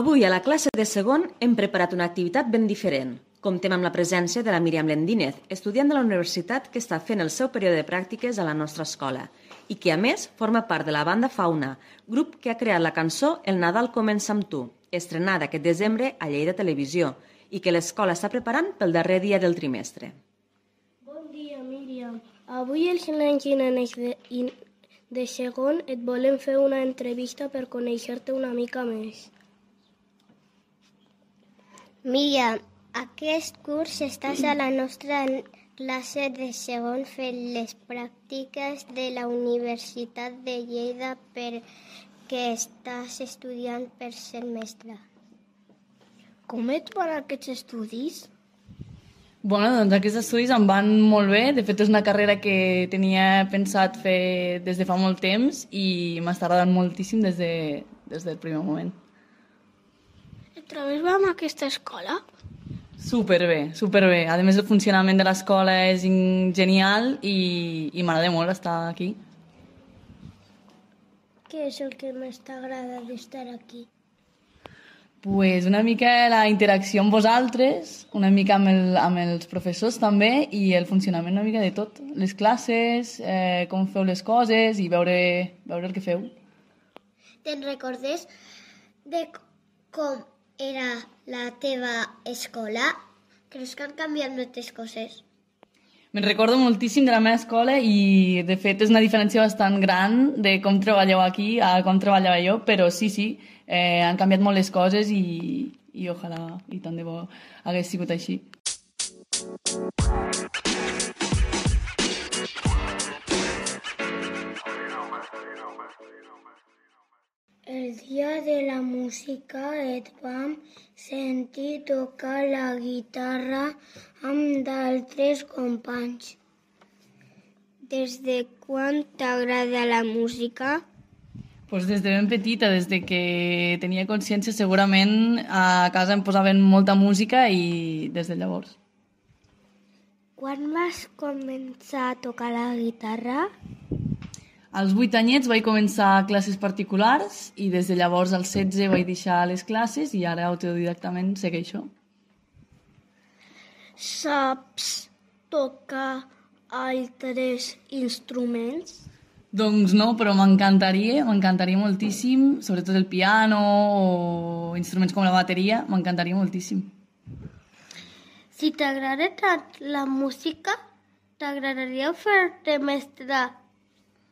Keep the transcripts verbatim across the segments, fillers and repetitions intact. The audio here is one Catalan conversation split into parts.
Avui a la classe de segon hem preparat una activitat ben diferent. Comptem amb la presència de la Míriam Lendínez, estudiant de la universitat que està fent el seu període de pràctiques a la nostra escola i que, a més, forma part de la banda Fauna, grup que ha creat la cançó El Nadal comença amb tu, estrenada aquest desembre a Lleida Televisió i que l'escola està preparant pel darrer dia del trimestre. Bon dia, Míriam. Avui els nens i nenes de, de segon et volem fer una entrevista per conèixer-te una mica més. Míriam, aquest curs estàs a la nostra classe de segon fent les pràctiques de la Universitat de Lleida perquè estàs estudiant per ser mestra. Com et van aquests estudis? Bueno, doncs aquests estudis em van molt bé. De fet, és una carrera que tenia pensat fer des de fa molt temps i m'està agradant moltíssim des, de, des del primer moment. Et trobes bé amb aquesta escola? Superbé, superbé. A més, el funcionament de l'escola és genial i, i m'agrada molt estar aquí. Què és el que més t'agrada d'estar aquí? Pues una mica la interacció amb vosaltres, una mica amb, el, amb els professors també i el funcionament una mica de tot. Les classes, eh, com feu les coses i veure, veure el que feu. Te'n recordes de com era la teva escola? Creus que han canviat moltes coses? Me'n recordo moltíssim de la meva escola i, de fet, és una diferència bastant gran de com treballeu aquí a com treballava jo, però sí, sí, eh, han canviat molt les coses i, i ojalà i tant de bo hagués sigut així. El dia de la música et vam sentir tocar la guitarra amb d'altres companys. Des de quan t'agrada la música? Pues des de ben petita, des de que tenia consciència, segurament a casa em posaven molta música i des de llavors. Quan vas començar a tocar la guitarra? Als vuit anyets vaig començar classes particulars i des de llavors als setze vaig deixar les classes i ara autodidactament segueixo. Saps tocar altres instruments? Doncs no, però m'encantaria, m'encantaria moltíssim, sobretot el piano o instruments com la bateria, m'encantaria moltíssim. Si t'agrada tant la música, t'agradaria fer-te mestra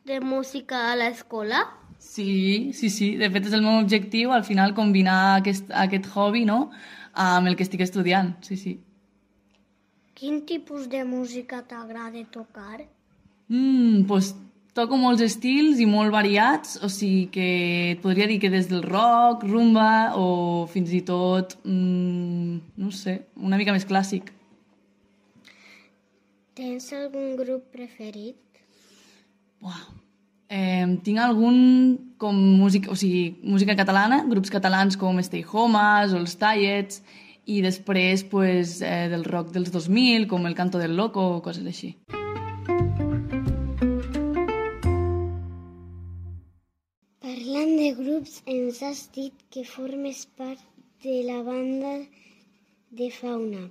de música a l'escola? Sí, sí, sí. De fet, és el meu objectiu, al final, combinar aquest, aquest hobby, no?, amb el que estic estudiant, sí, sí. Quin tipus de música t'agrada tocar? Mm, doncs toco molts estils i molt variats, o sigui que et podria dir que des del rock, rumba o fins i tot, mm, no sé, una mica més clàssic. Tens algun grup preferit? Uau. Eh, tinc algun com música, o sigui, música catalana, grups catalans com Stay Homes o els Tallets, i després pues, eh, del rock dels dos mil, com El Canto del Loco o coses així. Parlant de grups, ens has dit que formes part de la banda de Fauna.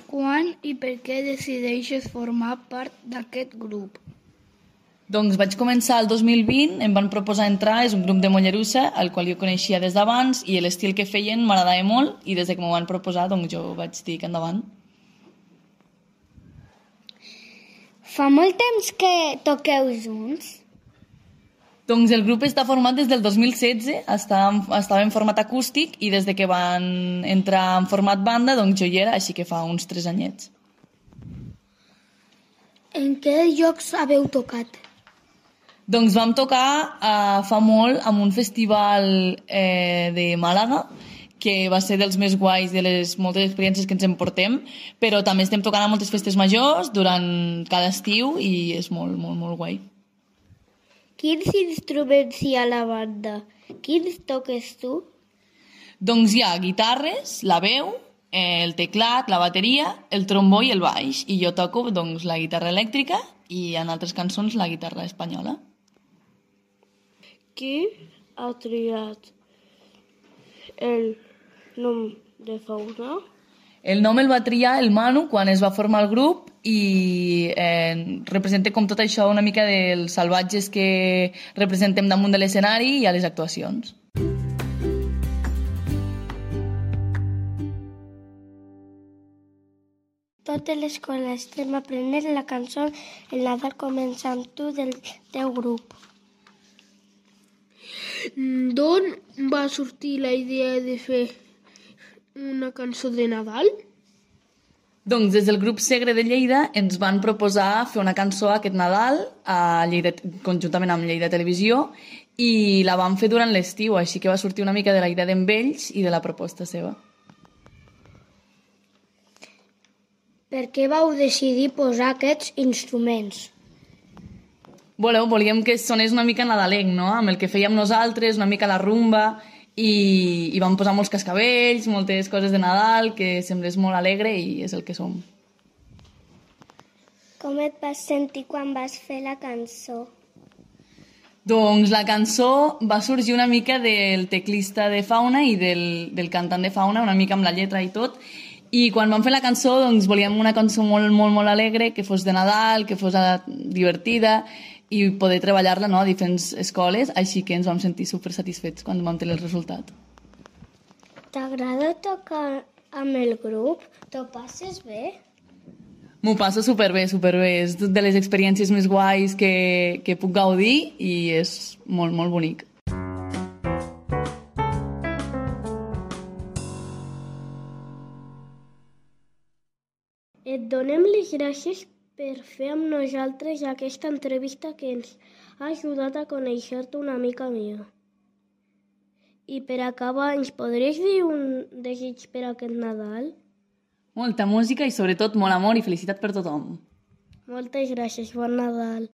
Quan i per què decideixes formar part d'aquest grup? Doncs vaig començar el dos mil vint, em van proposar entrar, és un grup de Mollerussa, el qual jo coneixia des d'abans, i l'estil que feien m'agradava molt, i des que m'ho van proposar, doncs jo vaig dir que endavant. Fa molt temps que toqueu junts? Doncs el grup està format des del dos mil setze, estava, estava en format acústic, i des de que van entrar en format banda, doncs jo hi era, així que fa uns tres anyets. En què llocs haveu tocat? Doncs vam tocar eh, fa molt en un festival eh, de Màlaga, que va ser dels més guais de les moltes experiències que ens emportem, però també estem tocant a moltes festes majors durant cada estiu i és molt, molt, molt guai. Quins instruments hi ha a la banda? Quins toques tu? Doncs hi ha guitarres, la veu, eh, el teclat, la bateria, el trombó i el baix. I jo toco doncs, la guitarra elèctrica i en altres cançons la guitarra espanyola. Qui ha triat el nom de fauna? El nom el va triar el Manu quan es va formar el grup i eh, representa com tot això una mica dels salvatges que representem damunt de l'escenari i a les actuacions. Totes l'escola estem aprenent la cançó El Nadal comença amb tu del teu grup. D'on va sortir la idea de fer una cançó de Nadal? Doncs des del grup Segre de Lleida ens van proposar fer una cançó aquest Nadal a Lleida, conjuntament amb Lleida Televisió, i la vam fer durant l'estiu, així que va sortir una mica de la idea d'en ells i de la proposta seva. Per què vau decidir posar aquests instruments? Voleu, volíem que sonés una mica nadalenc, no? Amb el que fèiem nosaltres, una mica la rumba, i, i vam posar molts cascavells, moltes coses de Nadal, que semblés molt alegre i és el que som. Com et vas sentir quan vas fer la cançó? Doncs la cançó va sorgir una mica del teclista de Fauna i del, del cantant de Fauna, una mica amb la lletra i tot, i quan vam fer la cançó doncs volíem una cançó molt, molt, molt alegre, que fos de Nadal, que fos divertida i poder treballar-la, no, a diferents escoles, així que ens vam sentir super satisfets quan vam tenir el resultat. T'agrada tocar amb el grup? T'ho passes bé? M'ho passo superbé, superbé. És de les experiències més guais que, que puc gaudir i és molt, molt bonic. Et donem les gràcies per fer amb nosaltres aquesta entrevista que ens ha ajudat a conèixer-te una mica millor. I per acabar, ens podries dir un desig per aquest Nadal? Molta música i sobretot molt amor i felicitat per tothom. Moltes gràcies, bon Nadal.